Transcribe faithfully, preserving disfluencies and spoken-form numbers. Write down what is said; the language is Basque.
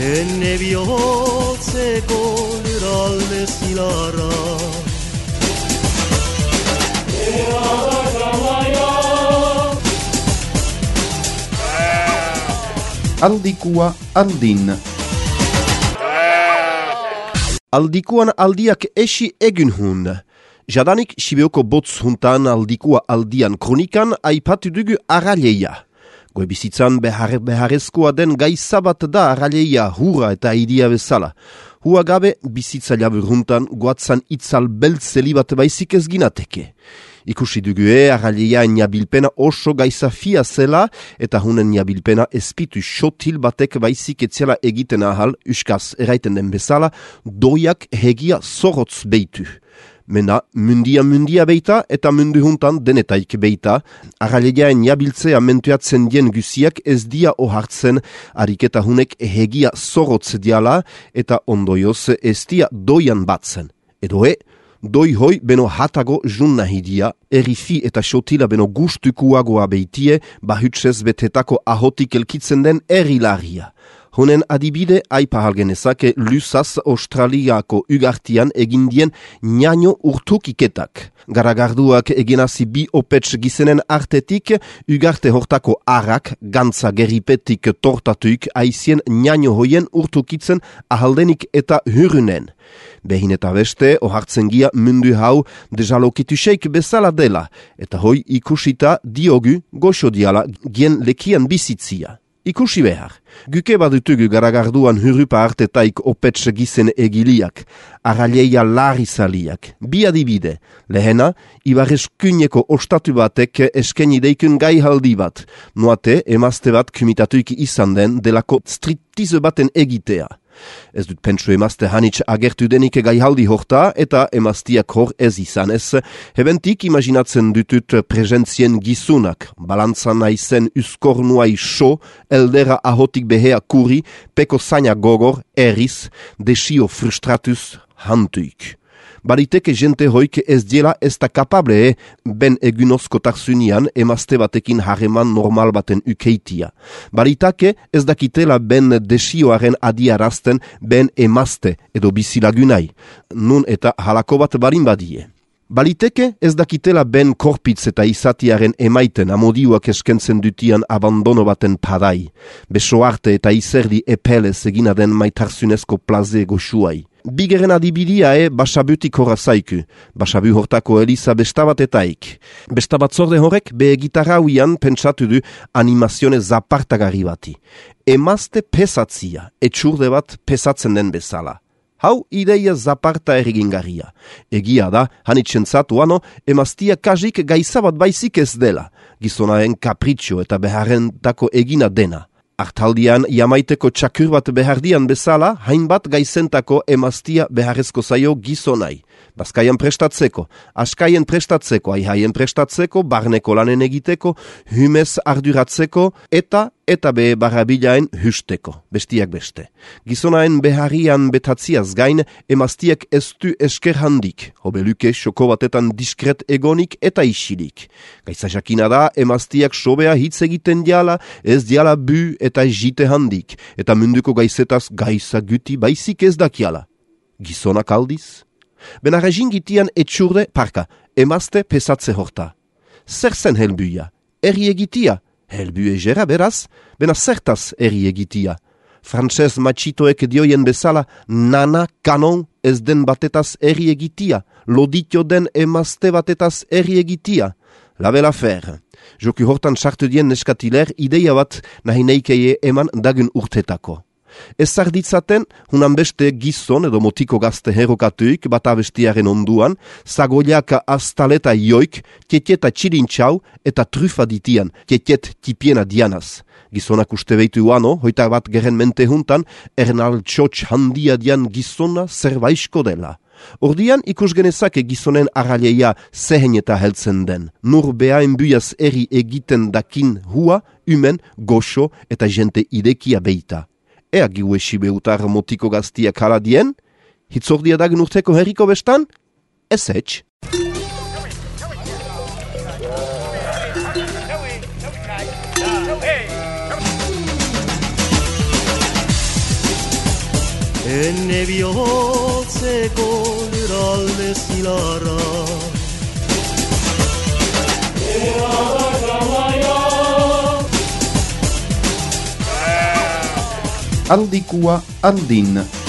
Enne bihotzeko lurralde zilarra Aldikua aldin Aldikuan aldiak esi egin hun. Jadanik Sibeoko botz huntan aldikua aldian kronikan aipatu dugu arraleia. Goe bizitzan behar beharrezkoa den gaitza bat da arraleia hura eta idia bezala. Hua gabe bizitza labur huntan goatzan itzal beltzeli bat baizik ez ginateke. Ikusi dugu e, arraleia niabilpena oso gaitza fia zela eta hunen niabilpena espitu xotil batek baizik etzela egiten ahal, uskaz eraiten den bezala, doiak hegia zorotz beitu. Mena mundia mundia beita eta mundu huntan denetaik beita, arraleia niabiltzea mentuatzen dien guziak ez dia ohartzen ariketa hunek hegia zorotz diala eta ondoioz ez dia doian batzen. Edo e, doi hoi beno hatago jun nahi dia, erifi eta xotila beno gustukuagoa beitie, bahutsez betetako ahotik elkitzen den erilaria. Honen adibide aipahal genezake lusaz Australiako ugartian egindien niano urtukiketak. Garagarduak egenazi bi opets gizenen artetik, ugarte hortako arrak, gantza geripetik tortatuik aizien niano hoien urtukitzen ahaldenik eta hyrunen. Behin eta beste, ohartzen gia mundu hau dejalokitusek bezala dela, eta hoi ikusita diogu goxo diala gien lekian bizitzia. Ikusi behar, guke badutugu garagarduan hurupa artetaik opets gizen egiliak, arraleia larizaliak, bi adibide, lehena, ibarreskuneko ostatu batek eskeni deikun gaihaldi bat, noate emazte bat kumitatuik izan den delako striptize baten egitea. Ez dut pentsu emazte hanitz agertu denik gaihaldi horta eta emaztiak hor ez izan ez. Hebentik imaginatzen dutut presentzien gizunak, balantzan naizen uskornuai so, eldera ahotik behea kuri, peko zaina gogor, eriz, desio frustratuz hantuik. Bariteke jente hoik ez diela ez da kapable ben egunozko tarzunian emazte batekin harreman normal baten ukeitia. Baritake ez dakitela ben desioaren adiarazten ben emazte edo bizilagunai, nun eta halako bat barin badie. Baliteke ez dakitela ben korpitz eta izatiaren emaiten amodioak eskentzen dutian abandono baten padai, beso arte eta izerdi epelez egina den maitarzunezko plaze goxuai. Bigeren adibidia e basabutik horra zaiku, basabu hortako eliza bestabatetaik. Bestabatzorde horrek be gitarrauian pentsatu du animazione zapartagarri bati. Emazte pesatzia, etxurde bat pesatzen den bezala. Hau ideia zaparta erregingarria. Egia da, hanitzentzatu ano, emaztia kajik gaizabat baizik ez dela, gizonaren kapritxo eta beharrentako egina dena. Artaldian, jamaiteko txakur bat behardian bezala, hainbat gaizentako emaztia beharrezko zaio gizonai. Bazkaian prestatzeko, askaien prestatzeko, aihaien prestatzeko, barneko lanen egiteko, humez arduratzeko, eta eta be barrabilaen husteko, bestiak beste. Gizonaen beharrian betatziaz gain, emaztiak ez du esker handik, hobeluke xoko batetan diskret egonik eta isilik. Gaitza jakina da, emaztiak sobea hitz egiten diala, ez diala bu eta jite handik, eta munduko gaizetaz gaiza guti baizik ez dakiala. Gizonak aldiz? Benarra jingitian etxurde, parka, emazte pesatze horta. Zer zen helbuia? Eri egitia? Helbu egera beraz, bena zertaz eri egitia. Frantses matxitoek dioien bezala, nana kanon ez den batetaz eri egitia, loditio den emazte batetaz eri egitia. La bela fer. Joku hortan sartu dien neskatiler ideia bat nahi neikeie eman dagun urtetako. Ez zarditzaten, hunan beste gizon edo motiko gazte herokatuik bat abestiaren onduan, zagoiaka astaleta joik, tieteta txirintxau eta trufa ditian, tietet tipiena dianaz. Gizonak uste behitu uano, hoita bat geren mente juntan, ernal txotx handia dian gizona zerbaisko dela. Ordian ikus genezake gizonen arraleia zehen eta heltzen den. Nur behaen buiaz eri egiten dakin hua, umen, goxo eta jente idekia beita. Ea giue sibeutar motiko gaztiak haladien? Hitzordia dagen urteko herriko bestan? Ez etx. enne bihotzeko lurralde zilarra. Aldikua aldin.